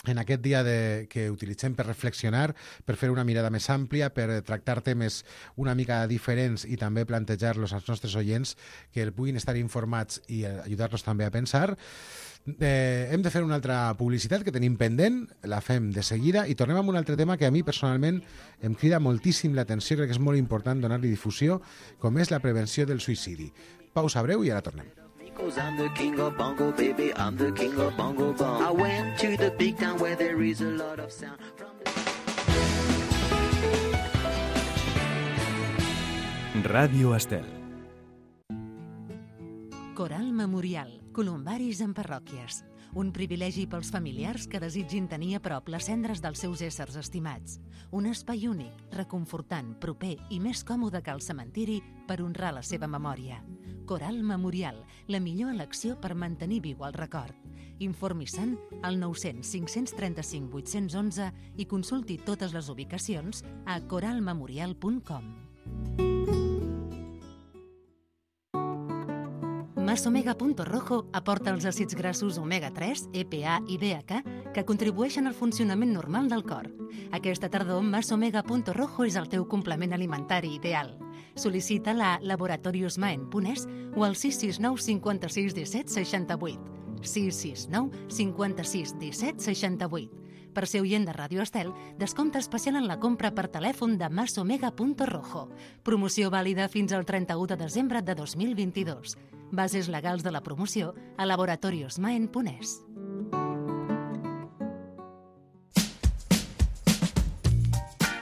en aquest dia que utilitzem per reflexionar, per fer una mirada més àmplia, per tractar temes una mica diferents i també plantejar-los als nostres oients, que el puguin estar informats i ajudar-los també a pensar. Hem de fer una altra publicitat que tenim pendent, la fem de seguida i tornem amb un altre tema que a mi personalment em crida moltíssim l'atenció, crec que és molt important donar-li difusió, com és la prevenció del suïcidi. Pausa breu i ara tornem. I'm the king of bongo, baby, I'm the king of bongo bong. I went to the big town where there is a lot of sound. Ràdio Estel. Coral Memorial, columbaris en parròquies. Un privilegi pels familiars que desitgin tenir a prop les cendres dels seus éssers estimats. Un espai únic, reconfortant, proper i més còmode que el cementiri per honrar la seva memòria. Coral Memorial, la millor elecció per mantenir viu el record. Informi-se'n al 900 535 811 i consulti totes les ubicacions a coralmemorial.com. Masomega.rojo aporta els àcids grassos omega-3, EPA i DHA que contribueixen al funcionament normal del cor. Aquesta tardor, Masomega.rojo és el teu complement alimentari ideal. Sol·licita-la a laboratoriosmaen.es o al 669 56 17 68. 669 56 17 68. Per ser oient de Ràdio Estel, descompte especial en la compra per telèfon de Masomega.rojo. Promoció vàlida fins al 31 de desembre de 2022. Bases legals de la promoció a laboratoriosmaen.es.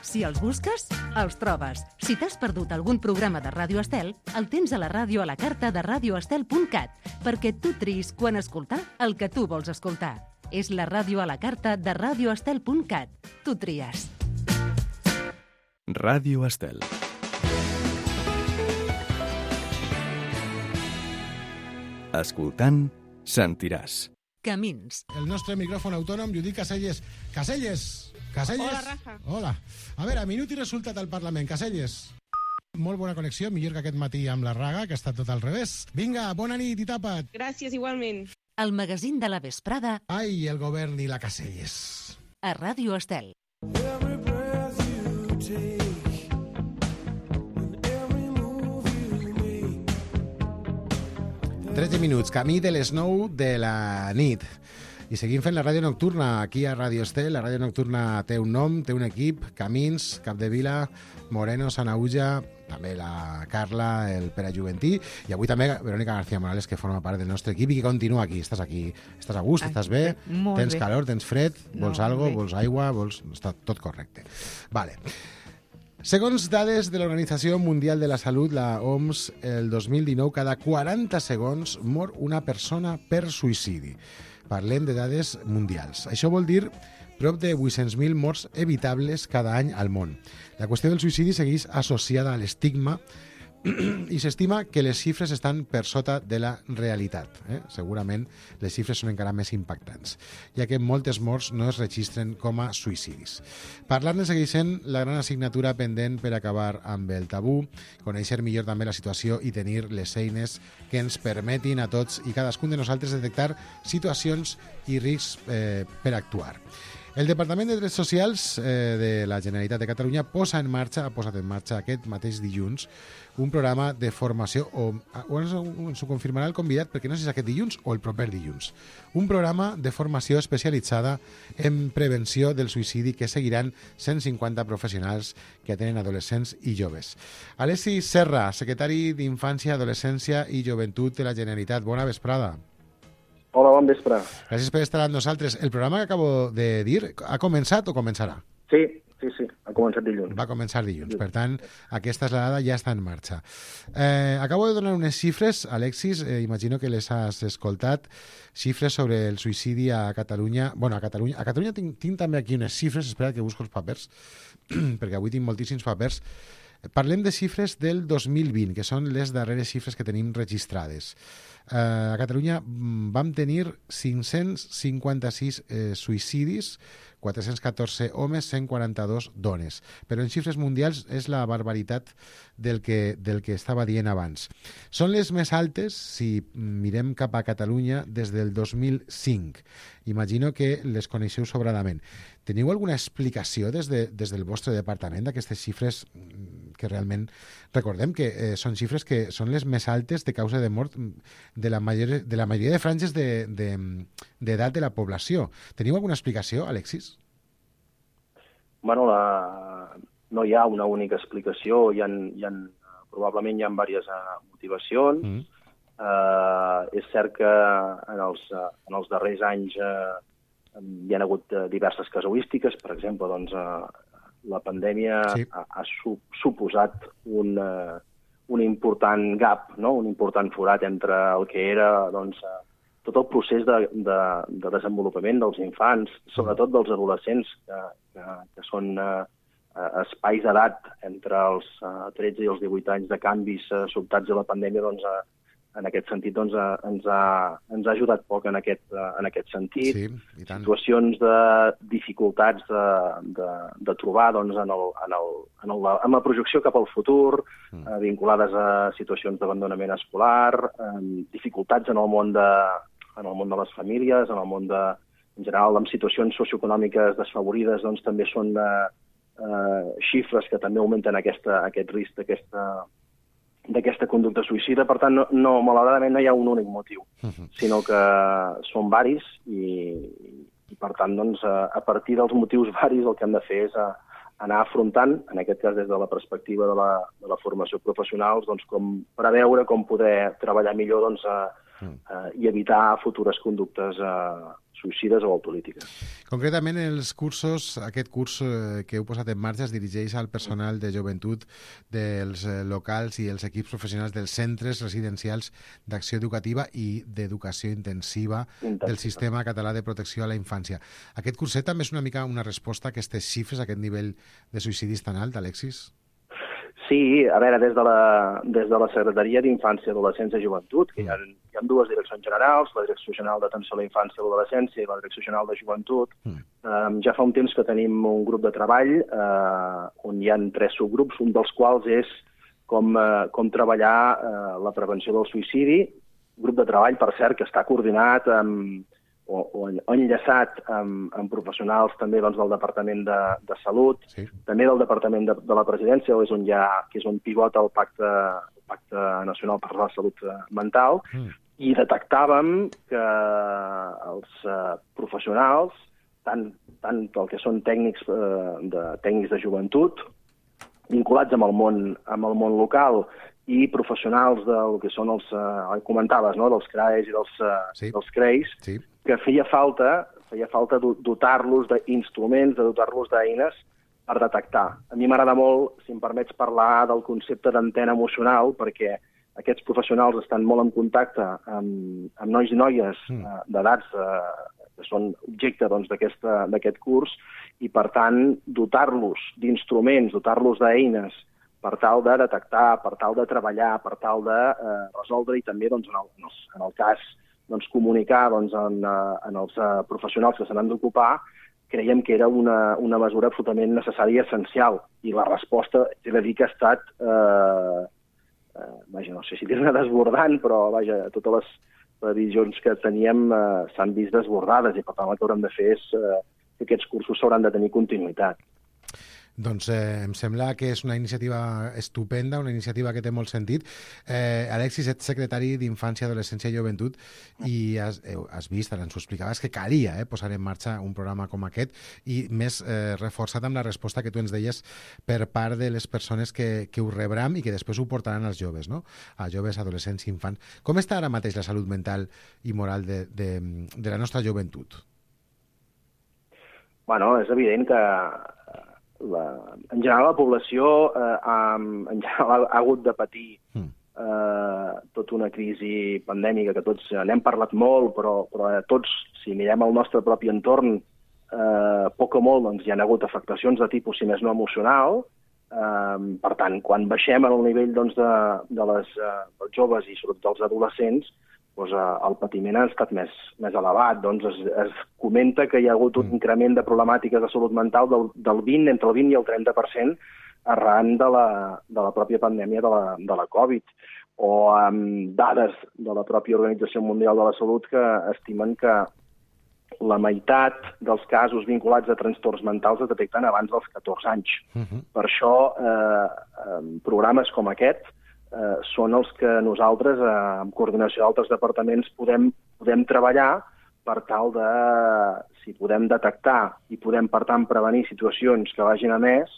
Si els busques, els trobes. Si t'has perdut algun programa de Ràdio Estel, el tens a la ràdio a la carta de radioestel.cat, perquè tu triïs quan escoltar el que tu vols escoltar. És la ràdio a la carta de radioestel.cat. Tu tries. Ràdio Estel. Escoltant, sentiràs. Camins. El nostre micròfon autònom, Judit Caselles. Caselles! Caselles! Hola, Rafa. Hola. A veure, minut i resultat al Parlament. Caselles. Molt bona connexió, millor que aquest matí amb la Raga, que ha estat tot al revés. Vinga, bona nit i tapa't. Gràcies, igualment. El magazín de la vesprada. Ai, el govern i la Caselles. A Ràdio Estel. 13 minuts, camí de les 9 de la nit. I seguim fent la ràdio nocturna aquí a Ràdio Estel. La ràdio nocturna té un nom, té un equip, Camins, Capdevila, Moreno, Sanaüja, també la Carla, el Pere Juventí, i avui també Verónica García Morales, que forma part del nostre equip i que continua aquí. Estàs a gust, estàs bé, tens calor, tens fred, vols algo, vols aigua, està tot correcte. Vale. Segons dades de l'Organització Mundial de la Salut, la OMS, el 2019, cada 40 segons mor una persona per suïcidi. Parlem de dades mundials. Això vol dir prop de 800.000 morts evitables cada any al món. La qüestió del suïcidi segueix associada a l'estigma i s'estima que les xifres estan per sota de la realitat. Segurament les xifres són encara més impactants, ja que moltes morts no es registren com a suïcidis. Parlar-ne segueix sent la gran assignatura pendent per acabar amb el tabú, conèixer millor també la situació i tenir les eines que ens permetin a tots i cadascun de nosaltres detectar situacions i riscs per actuar. El Departament de Drets Socials de la Generalitat de Catalunya ha posat en marxa aquest mateix dilluns un programa de formació, o ens ho confirmarà el convidat, perquè no sé si és aquest dilluns o el proper dilluns. Un programa de formació especialitzada en prevenció del suïcidi que seguiran 150 professionals que atenen adolescents i joves. Alessi Serra, secretari d'Infància, Adolescència i Joventut de la Generalitat. Bona vesprada. Hola, bon vespre. Gràcies per estar amb nosaltres. El programa que acabo de dir ha començat o començarà? Sí, ha començat dilluns. Va començar dilluns, per tant, aquesta esladada ja està en marxa. Acabo de donar unes xifres, Alexis, imagino que les has escoltat, xifres sobre el suïcidi a Catalunya. Bueno, a Catalunya tinc també aquí unes xifres, espera que busco els papers, perquè avui tinc moltíssims papers. Parlem de xifres del 2020, que són les darreres xifres que tenim registrades. A Catalunya vam tenir 556 suïcidis, 414 homes, 142 dones. Però en xifres mundials és la barbaritat del que estava dient abans. Són les més altes si mirem cap a Catalunya des del 2005. Imagino que les coneixeu sobradament. Teniu alguna explicació des del vostre departament d'aquestes xifres que realment recordem que són xifres que són les més altes de causa de mort de la majoria de franges d'edat de la població. Teniu alguna explicació, Alexis? Bueno, no hi ha una única explicació, probablement hi ha diverses motivacions. És cert que en els darrers anys hi ha hagut diverses casuístiques. Per exemple, doncs, la pandèmia ha suposat un important gap, no? Un important forat entre el que era tot el procés de desenvolupament dels infants, sobretot dels adolescents, que són espais d'edat entre els 13 i els 18 anys de canvis sobtats a la pandèmia, doncs, en aquest sentit ens ha ajudat poc en aquest sentit. Sí, i tant. Situacions de dificultats de trobar doncs, en la projecció cap al futur, vinculades a situacions d'abandonament escolar, dificultats en el món de les famílies, en el món en general, amb situacions socioeconòmiques desfavorides, doncs també són xifres que també augmenten aquest risc d'aquesta conducta suïcida. Per tant, malauradament no hi ha un únic motiu, sinó que són varis i per tant, doncs, a partir dels motius varis el que hem de fer és anar afrontant, en aquest cas des de la perspectiva de la formació professional, doncs, com preveure com poder treballar millor i evitar futures conductes suïcides o autolítiques. Concretament, aquest curs que heu posat en marxa es dirigeix al personal de joventut dels locals i els equips professionals dels centres residencials d'acció educativa i d'educació intensiva del Sistema Català de Protecció a la Infància. Aquest curset també és una mica una resposta a aquestes xifres, a aquest nivell de suïcidis tan alt, Alexis? Sí, a veure, des de la Secretaria d'Infància, Adolescència i Joventut, que hi ha dues direccions generals, la Direcció General d'Atenció a la Infància i l'Adolescència i la Direcció General de Joventut. Ja fa un temps que tenim un grup de treball on hi ha 3 subgrups, un dels quals és com treballar la prevenció del suïcidi, grup de treball, per cert, que està coordinat o enllaçat amb professionals també del Departament de Salut, també del Departament de la Presidència, que és on pivota el Pacte Nacional per la Salut Mental, I detectàvem que els professionals, tant el que són tècnics de joventut, vinculats amb el món local, i professionals del que són els, comentaves, no?, dels CRAEs i dels CREIs, que feia falta dotar-los d'instruments, de dotar-los d'eines per detectar. A mi m'agrada molt, si em permets, parlar del concepte d'antena emocional, perquè aquests professionals estan molt en contacte amb nois i noies d'edats que són objecte d'aquest curs, i, per tant, dotar-los d'instruments, dotar-los d'eines per tal de detectar, per tal de treballar, per tal de resoldre, i també, en el cas, comunicar en els professionals que se n'han d'ocupar, creiem que era una mesura absolutament necessària i essencial. I la resposta, he de dir que ha estat, no sé si dir-ne desbordant, però totes les previsions que teníem s'han vist desbordades, i per tant el que haurem de fer és que aquests cursos s'hauran de tenir continuïtat. Doncs em sembla que és una iniciativa estupenda, una iniciativa que té molt sentit. Alexis, ets secretari d'Infància, Adolescència i Joventut, i has vist, ara ens ho explicaves, que calia posar en marxa un programa com aquest, i més reforçat amb la resposta que tu ens deies per part de les persones que ho rebran i que després ho portaran als joves, no? A joves, adolescents i infants. Com està ara mateix la salut mental i moral de la nostra joventut? Bueno, és evident que en general la població ha hagut de patir tota una crisi pandèmica que tots n'hem parlat molt, però tots, si mirem el nostre propi entorn, poc o molt hi ha hagut afectacions de tipus, si més no emocional. Per tant, quan baixem al nivell dels joves i sobretot dels adolescents, el patiment ha estat més elevat. Es comenta que hi ha hagut un increment de problemàtiques de salut mental del 20, entre el 20 i el 30% arran de la pròpia pandèmia de la Covid, o amb dades de la pròpia Organització Mundial de la Salut que estimen que la meitat dels casos vinculats a trastorns mentals es detecten abans dels 14 anys. Per això, programes com aquest són els que nosaltres, en coordinació d'altres departaments, podem treballar per tal de, si podem detectar i podem, per tant, prevenir situacions que vagin a més,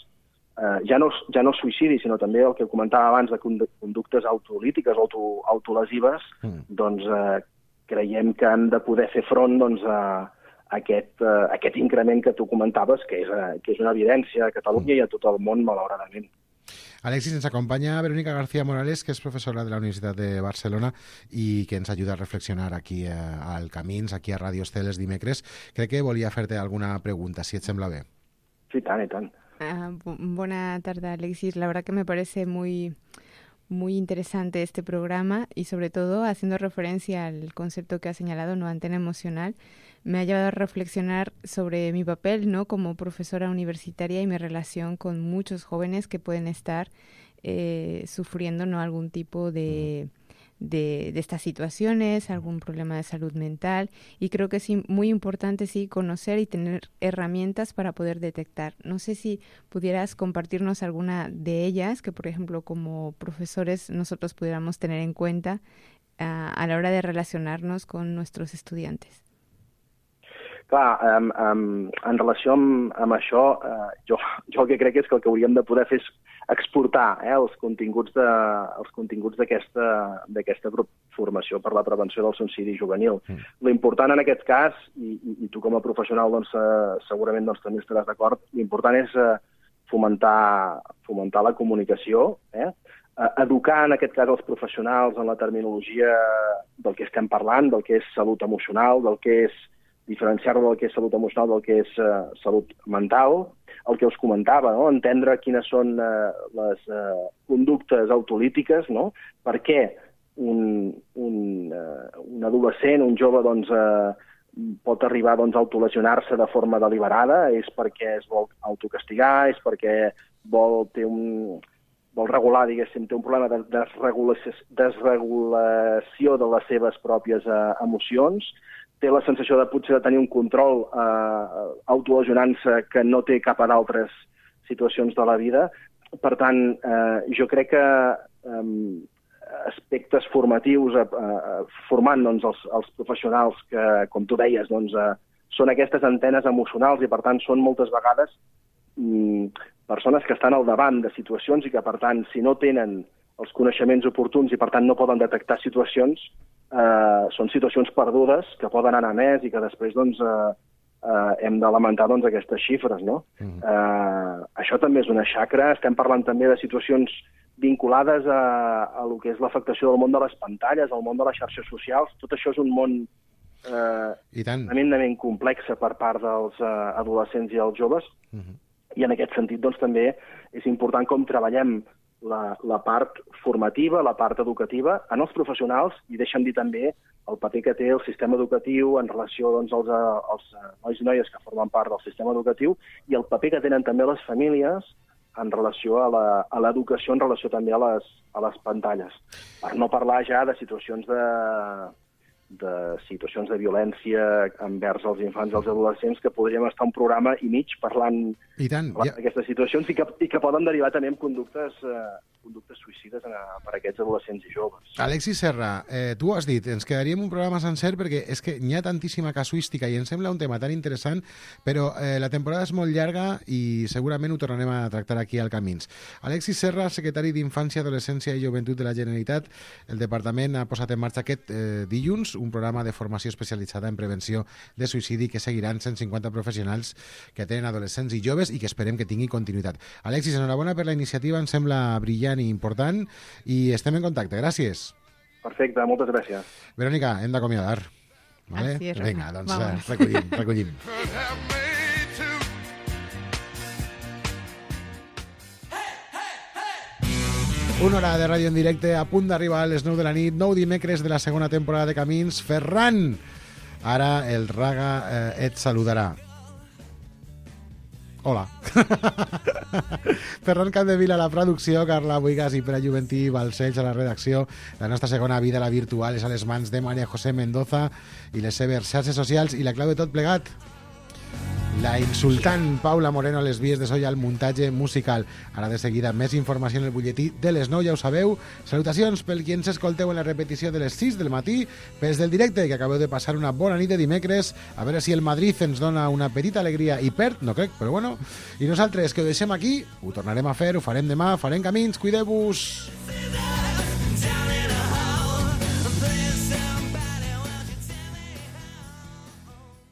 ja no suïcidi, sinó també el que comentava abans de conductes autolítiques o autolesives, doncs creiem que han de poder fer front a aquest increment que tu comentaves, que és una evidència a Catalunya i a tot el món, malauradament. Alexis, ens acompanya Verónica García Morales, que és professora de la Universitat de Barcelona i que ens ajuda a reflexionar aquí al Camins, aquí a Radio Estel els dimecres. Crec que volia fer-te alguna pregunta, si et sembla bé. Sí, tant i tant. Buena tarde, Alexis. La verdad que me parece muy interesante este programa y sobre todo haciendo referencia al concepto que ha señalado, no antena emocional, me ha llevado a reflexionar sobre mi papel, ¿no?, como profesora universitaria y mi relación con muchos jóvenes que pueden estar sufriendo, ¿no?, algún tipo de estas situaciones, algún problema de salud mental, y creo que es muy importante conocer y tener herramientas para poder detectar. No sé si pudieras compartirnos alguna de ellas que, por ejemplo, como profesores nosotros pudiéramos tener en cuenta a la hora de relacionarnos con nuestros estudiantes. Clar, en relació amb això, jo el que crec és que el que hauríem de poder fer és exportar els continguts d'aquesta formació per la prevenció del suïcidi juvenil. L'important en aquest cas, i tu com a professional segurament també estaràs d'acord, l'important és fomentar la comunicació, educar en aquest cas els professionals en la terminologia del que estem parlant, del que és salut emocional, del que és diferenciar-lo del que és salut emocional del que és salut mental, el que us comentava, no?, entendre quines són les conductes autolítiques, no?, per què un adolescent, un jove, pot arribar a autolesionar-se de forma deliberada, és perquè es vol autocastigar, és perquè vol regular, diguéssim, té un problema de desregulació de les seves pròpies emocions, té la sensació de potser de tenir un control autolesionant-se que no té cap a d'altres situacions de la vida. Per tant, jo crec que aspectes formatius, formant doncs, els professionals que, com tu deies, doncs, són aquestes antenes emocionals i, per tant, són moltes vegades persones que estan al davant de situacions i que, per tant, si no tenen els coneixements oportuns i, per tant, no poden detectar situacions, són situacions perdudes que poden anar més i que després doncs, hem de lamentar doncs, aquestes xifres. No? Això també és una xacra. Estem parlant també de situacions vinculades a lo que és l'afectació del món de les pantalles, al món de les xarxes socials. Tot això és un món tremendament complex per part dels adolescents i els joves. I en aquest sentit doncs, també és important com treballem la part formativa, la part educativa en els professionals i deixa'm dir també el paper que té el sistema educatiu en relació doncs, als nois i noies que formen part del sistema educatiu i el paper que tenen també les famílies en relació a l'educació, en relació també a les pantalles. Per no parlar ja de situacions de violència envers els infants i els adolescents, que podríem estar un programa i mig parlant d'aquestes situacions i que poden derivar també en conductes suïcides per a aquests adolescents i joves. Alexis Serra, tu ho has dit, ens quedaríem un programa sencer perquè és que n'hi ha tantíssima casuística i em sembla un tema tan interessant, però la temporada és molt llarga i segurament ho tornarem a tractar aquí al Camins. Alexis Serra, secretari d'Infància, Adolescència i Joventut de la Generalitat, el Departament ha posat en marxa aquest dilluns un programa de formació especialitzada en prevenció de suïcidi que seguiran 150 professionals que tenen adolescents i joves i que esperem que tingui continuïtat. Alexis, enhorabona per la iniciativa, em sembla brillant i important i estem en contacte. Gràcies. Perfecte, moltes gràcies. Verònica, hem d'acomiadar. Vale? Vinga, doncs recollim. Una hora de ràdio en directe a punt d'arribar a les 9 de la nit, 9 dimecres de la segona temporada de Camins. Ferran, ara el Raga et saludarà. Hola. Ferran Capdevila a la producció, Carla Buigas i Pere Juventí Balcells a la redacció. La nostra segona vida, la virtual, és a les mans de Maria José Mendoza i les seves xarxes socials i la clau de tot plegat, la insultant Paula Moreno a les vies de so i al muntatge musical. Ara de seguida més informació en el butlletí de les 9, ja ho sabeu. Salutacions pel qui ens escolteu en la repetició de les 6 del matí, pels del directe, que acabeu de passar una bona nit de dimecres, a veure si el Madrid ens dona una petita alegria i perd, no crec, però bueno. I nosaltres, que ho deixem aquí, ho tornarem a fer, ho farem demà, farem Camins, cuideu-vos!